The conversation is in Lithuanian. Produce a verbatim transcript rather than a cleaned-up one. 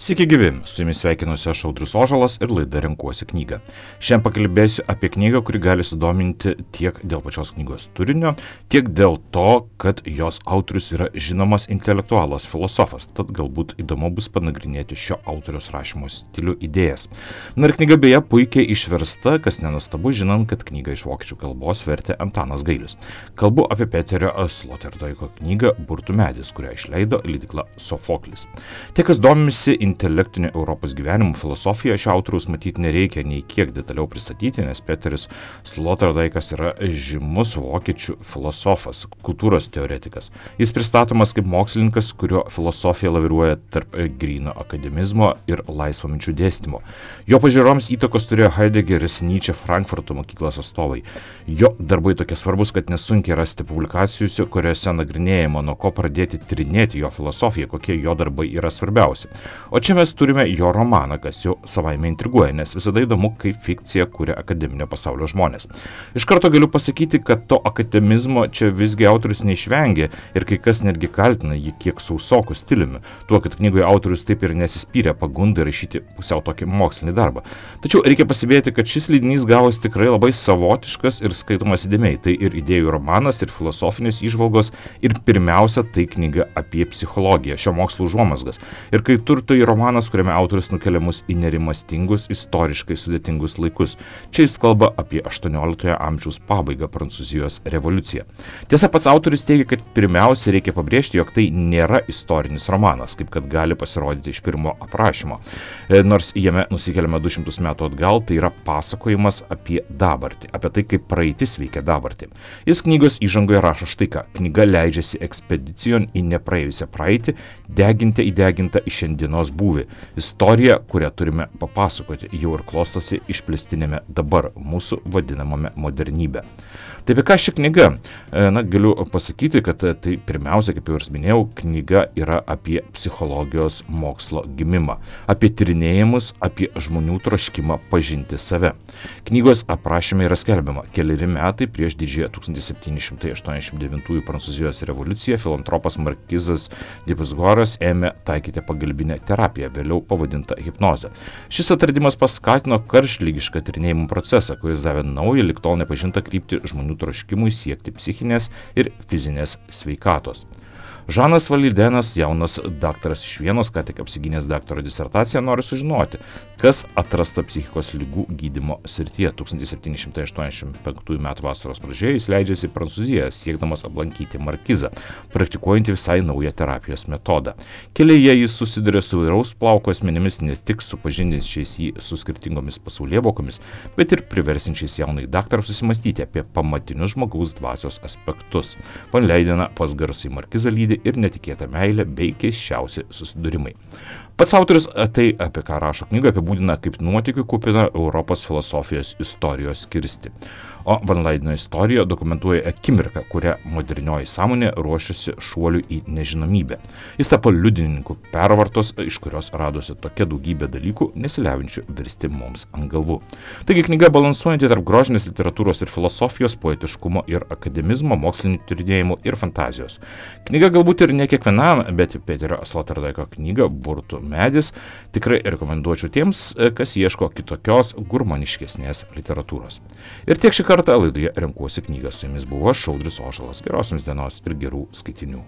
Sveiki gyvi, su jumis sveikinuosi aš Audrius Ožalas ir laida Renkuosi knygą. Šiandien pakalbėsiu apie knygą, kuri gali sudominti tiek dėl pačios knygos turinio, tiek dėl to, kad jos autorius yra žinomas intelektualas filosofas, tad galbūt įdomu bus panagrinėti šio autoriaus rašymo stilių idėjas. Na ir knyga beje puikiai išversta, kas nenustabu, žinant, kad knygą iš vokiečių kalbos vertė Antanas Gailius. Kalbu apie Peterio Sloterdijko knygą Burtų medis, kurią išleido leidykla Sofoklis. Tie, kas domisi intelektiniu Europos gyvenimu filosofija, šio autoriaus matyti nereikia nei kiek detaliau pristatyti, nes Peteris Sloterdijkas yra žymus vokiečių filosofas, kultūros teoretikas. Jis pristatomas kaip mokslininkas, kurio filosofija laviruoja tarp gryno akademizmo ir laisvo minčių dėstymo. Jo pažiūroms įtakos turėjo Heideggeris, Nyčė, Frankfurto mokyklos atstovai. Jo darbai tokie svarbus, kad nesunkiai rasti publikacijų, kuriuose nagrinėjama, nuo ko pradėti tyrinėti jo filosofiją, kokie jo darbai yra svarbiausi. O čia mes turime jo romaną, kas jau savaime intriguoja, nes visada įdomu, kaip fikcija kuria akademinio pasaulio žmonės. Iš karto galiu pasakyti, kad to akademizmo čia visgi autorius neišvengė ir kai kas netgi kaltina jį kiek sausokų stiliumi, tuo, kad knygoje autorius taip ir nesispyrė pagundai rašyti pusiau tokį mokslinį darbą. Tačiau reikia pasibėti, kad šis leidinys gavosi tikrai labai savotiškas ir skaitomas įdėmiai. Tai ir idėjų romanas, ir filosofinės įžvalgos, ir pirmiausia, tai knyga apie psichologiją, šio mokslo užuomazgas. Ir kai turto romanas, kuriame autorius nukelia mus į nerimastingus, istoriškai sudėtingus laikus. Čia jis kalba apie aštuonioliktojo amžiaus pabaigą, Prancūzijos revoliuciją. Tiesa, pats autorius teigia, kad pirmiausia reikia pabrėžti, jog tai nėra istorinis romanas, kaip kad gali pasirodyti iš pirmo aprašymo. Nors jame nusikeliame du šimtus metų atgal, tai yra pasakojimas apie dabartį, apie tai, kaip praeitis veikia dabartį. Jis knygos įžangoje rašo štai ką: knyga leidžiasi ekspedicijon į nepraėjusią praeitį, deginti įdegintą į šiandienos būvį. Istorija, kurią turime papasakoti, jau ir klostosi išplėstinėme dabar, mūsų vadinamame modernybė. Tai apie ką ši knyga? Na, galiu pasakyti, kad tai pirmiausia, kaip jau ir minėjau, knyga yra apie psichologijos mokslo gimimą, apie tyrinėjimus, apie žmonių troškimą pažinti save. Knygos aprašyme yra skelbiama: keleri metai prieš didžiąją tūkstantis septyni šimtai aštuoniasdešimt devintųjų Prancūzijos revoliuciją filantropas Markizas de Pizjuoras ėmė taikyti pagalbinę terapiją, vėliau pavadinta hipnoze. Šis atradimas paskatino karštligišką tyrinėjimų procesą, kuris davė naują, lig tol nepažintą kryptį žmonių troškimui siekti psichinės ir fizinės sveikatos. Žanas Validenas, jaunas daktaras iš Vienos, ką tik apsigynęs daktaro disertaciją, nori sužinoti, kas atrasta psichikos ligų gydymo srityje. tūkstantis septyni šimtai aštuoniasdešimt penktųjų metų vasaros pradžioje jis leidžiasi į Prancūziją, siekdamas aplankyti Markizą, praktikuojantį visai naują terapijos metodą. Kelyje jis susiduria su įvairaus plauko asmenimis, ne tik supažindinčiais jį su skirtingomis pasaulėvokomis, bet ir priversinčiais jaunai daktarą susimastyti apie pamatinius žmogaus dvasios aspektus. Van Leidena pas garsųjį Markizą lydi ir netikėta meilė bei keisčiausi susidūrimai. Pats autorius tai, apie ką rašo knyga, apibūdina kaip nuotykių kupiną Europos filosofijos istorijos skirstį. O Van Leideno istorija dokumentuoja akimirką, kurią modernioji sąmonė ruošiasi šuoliui į nežinomybę. Jis tapo liudininku pervartos, iš kurios radosi tokia daugybė dalykų, nesiliaujančių virsti mums ant galvų. Taigi knyga balansuojanti tarp grožinės literatūros ir filosofijos, poetiškumo ir akademizmo, mokslinių tyrinėjimų ir fantazijos. Knyga galbūt ir ne kiekvienam, bet Peterio Sloterdijko knyga Burtų medis tikrai rekomenduočiau tiems, kas ieško kitokios, gurmaniškesnės literatūros. Ir tiek šį kartą laidoje Renkuosi knygą. Su jumis buvo aš, Audrius Ožalas. Geros jums dienos ir gerų skaitinių.